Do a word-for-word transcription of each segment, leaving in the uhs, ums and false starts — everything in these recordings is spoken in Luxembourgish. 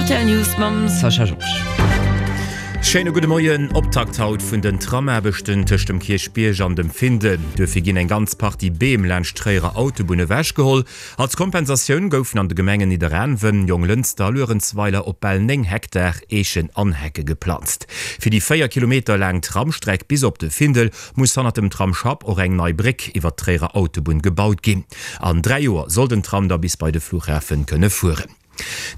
Rtl News mam Sascha Georges. Schéine gudde Moien. Optakt haut vun den Tramaarbechten tëscht dem Kierchbierg an dem Findel. Duerfir ginn eng ganz Partie Beem laanscht d'Tréierer Autobunn ewechgeholl. Als Kompensatioun goufen an de Gemengen Nidderaanwen, Jonglënster a Luerenzweiler op bal néng Hektar Eechen an Hecke geplanzt. Fir déi véier Kilometer laang Tramstreck bis op de Findel muss hannert dem Tramsschapp och eng nei Bréck iwwert d'Tréierer Autobunn gebaut ginn. An dräi Joer soll den Tram da bis bei de Flughafen kënne fueren.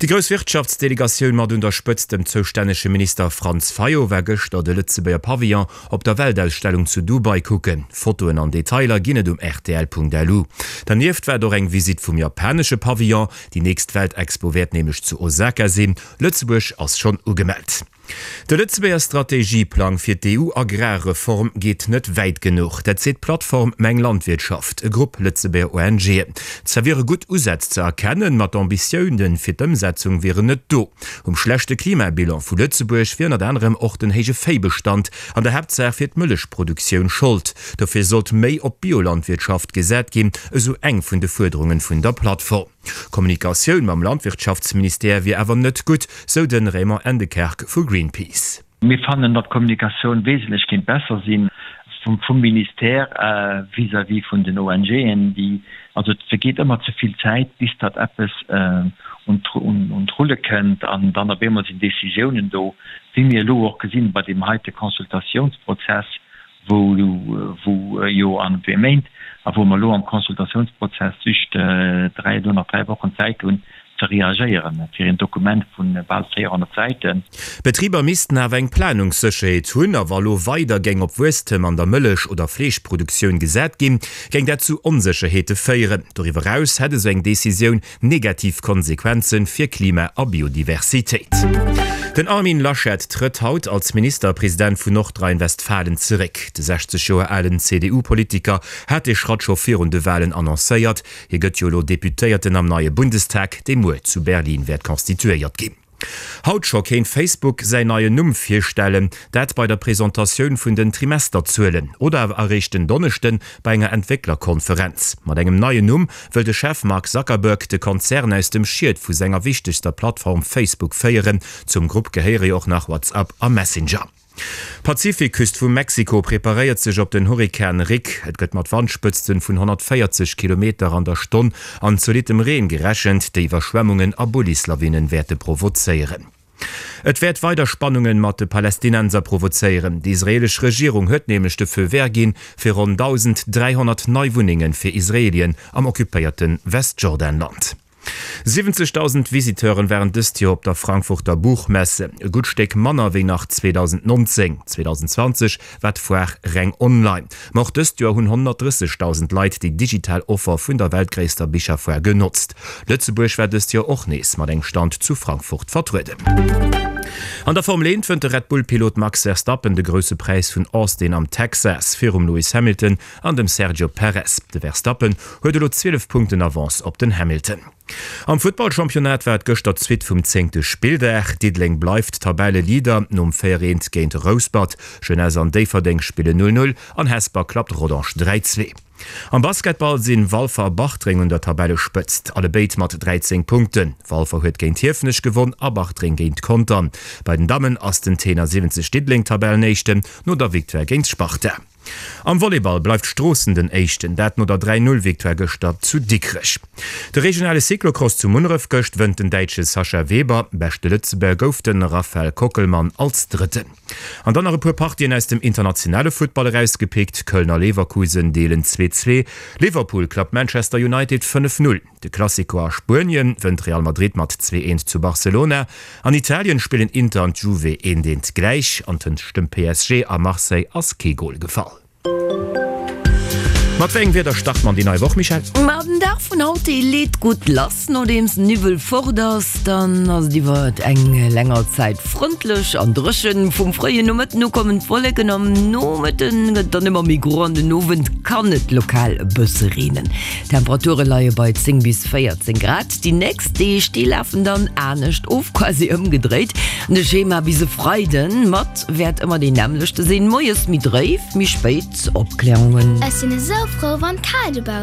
Déi grouss Wirtschaftsdelegatioun mat un der Spëtzt dem zoustännege Minister Franz Fayot war gëschter de Lëtzebuerger Pavillon op der Weltausstellung zu Dubai kucken. Fotoen an Detailer ginn et um rtl.lu. Dernieft war et och eng Visitt vum japanesche Pavillon. Déi nächst Weltexpo wäert nämlech zu Osaka sinn. Lëtzebuerg ass schonn ugemellt. De Lëtzebuerger Strategieplang fir d'EU-Agrarreform geet net wäit genuch. Dat seet d'Plattform Meng Landwirtschaft, e Grupp Lëtzebuerger ONGen. Zwar wiere gutt Usätz ze erkennen, ma d'Ambitioune fir d'Ëmsetzung wieren net do. Um schlechte Klimabilan vu Lëtzebuerg wier ënnert anerem och den héije Véibestand, an der Haaptsaach fir d'Mëllechproduktioun, Schold. Dofir sollt méi op Biolandwirtschaft gesat ginn, esou eng vun de Fuerderunge vun der Plattform. D'Kommunikatioun mam Landwirtschaftsministère wier awer net gutt, sou de Raymond Endekerk vu Greenpeace. Mir fannen, datt d'Kommunikatioun wesentlech kéint besser si vum Ministère vis-à-vis vun den ONGen. Déi, also et vergeet ëmmer ze vill Zäit, bis datt eppes un d'Rulle kënnt an dann op eemol sinn Décisiounen do, wéi mir elo och gesinn bei deem heite Consultatiounsprozess, wou wou jo an zwee Méint a wou mer elo am Consultatiounsprozess just dräi, elo nach dräi Wochen Zäit hunn ze reagéieren fir een Dokument vu bal véierhonnert Säiten. D'Betriber missten awer eng Planungssécherheet hunn a wa lo weider géing op Wuesstem an der Mëllech oder Fleeschproduktioun gesat ginn, géing dat zu Onsécherheete féieren. Doriwwer eraus hätt esou eng Decisioun negativ Konsequenze fir Klima a Biodiversitéit. Den Armin Laschet trëtt haut als Ministerpresident vun Nordrhein-Westfalen zeréck. De sechzeg Joer alen C D U-Politiker hat dee Schratt scho virun de Walen annoncéiert. Hie gëtt jo elo Deputéierten am neie Bundestag, dee muer zu Berlin wäert constituéiert ginn. Haut scho kéint Facebook säin neien Numm virstellen, dat bei der Presentatioun vun den Trimesterzuelen oder awer eréischt den Donneschden bei enger Entwécklerkonferenz. Mat engem neien Numm wëll de Chef Mark Zuckerberg de Konzern aus dem Schiet vu senger wichtegster Plattform Facebook féieren. Zum Grupp gehéiere jo och nach WhatsApp a Messenger. D'Pazifikküst vu Mexiko preparéiert sech op den Hurrikan Rick. Et gëtt mat Wandspëtzten vun honnertvéierzeg Kilometer an der Stonn an zolittem Reen gerechent, déi Iwwerschwemmungen a Bullislawinen wäerte provozéieren. Et wäert weider Spannungen mat de Palästinenser provozéieren. Déi israeelesch Regierung huet nämlech de Feu vert ginn fir ronn dausend dräihonnert nei Wunnenge fir Israelien am occupéierte Westjordanland. siwwenzegdausend Visiteuren waren dëst Joer op der Frankfurter Buchmesse, e gutt Stéck manner wéi nach zweedausendnonzéng. zweedausendzwanzeg war d'Foire reng online. Ma och dëst Joer hunn honnertdrëssegdausend Leit déi digital Offer vun der weltgréisster Bicherfoire genotzt. Lëtzebuerg war dëst Joer och nees mat engem Stand zu Frankfurt vertrueden. An der Formel eent wënnt de Red Bull-Pilot Max Verstappen de Grousse Präis vun Austin am Texas virum Lewis Hamilton an dem Sergio Perez. De Verstappen huet elo zwielef Punkten Avance op den Hamilton. Am Futtballchampionnat war et gëschter d'Suite vum zéngte Spilldag. Diddeleng bleift Tabelleleader nom véier eent géint Rouspert. Jeunesse an Déifferdeng spillen null null an Hesper klappt Rodange dräi zwee. Am Basketball sinn Walfer a Bartreng un der Tabellespëtzt, allebéid mat dräizéng Punkten. Walfer huet géint Hiefenech gewonn a Bartreng géint Contern. Bei den Dammen ass den Tenor siwwenzeg Diddeleng Tabellenéischten no der Victoire géint Sparta. Am Volleyball bleift Stroossen den Éischten, dat no der dräi Null Victoire gëschter zu Dikrech. De regionale Cyclocross zu Munneref gëscht wënnt den Däitsche Sascha Weber. Beschte Lëtzebuerger gouf de Raphael Kockelmann als Drëtten. An dann nach e puer Partien aus dem internationale Futtball erausgepickt, Köln a Leverkusen deelen zwee zwee, Liverpool klappt Manchester United fënnef null, de Clasico a Spuenien wënnt Real Madrid mat zwee eent zu Barcelona, an Italien spillen Inter an d'Juve eent eent gläich an tëscht dem P S G a Marseille ass kee Gol gefall. Mat wéi engem Wieder start mer an déi nei Woch, Michèle? Ma den Dag vun haut, dee leet gutt lass. Nodeems den Niwwel fort ass, dann ass et iwwert eng länger Zäit frëndlech an dréchen. Vum fréien Nomëtten u kommen d'Wolleken, am Nomëtte gëtt et dann ëmmer méi gro an den Owend kann et lokal e bësse reenen. D'Temperature leie bei zéng bis véierzéng Grad. Déi nächst Deeg, déi lafen dann anescht of, quasi ëmgedréit. De Schema bis e Freiden mat wäert ëmmer deen nämmlechte sinn, moies méi dréif, méi spéit Opklärungen. Ech sinn esou frou wann kal dobaussen.